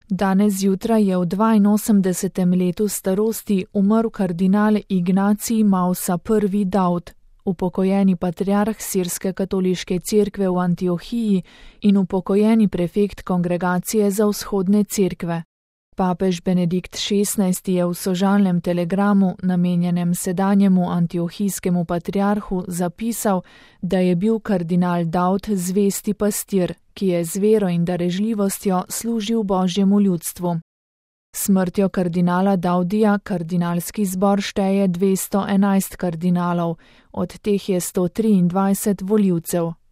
Danes zjutraj je v 82. letu starosti umrl kardinal Ignacij Mausa I. Daud, upokojeni patriarh sirske katoliške cerkve v Antiohiji in upokojeni prefekt Kongregacije za vzhodne cerkve. Papež Benedikt XVI. Je v sožalnem telegramu, namenjenem sedanjemu antiohijskemu patriarhu, zapisal, da je bil kardinal Daud zvesti pastir, ki je z vero in darežljivostjo služil Božjemu ljudstvu. Smrtjo kardinala Daudija kardinalski zbor šteje 211 kardinalov, od teh je 123 volivcev.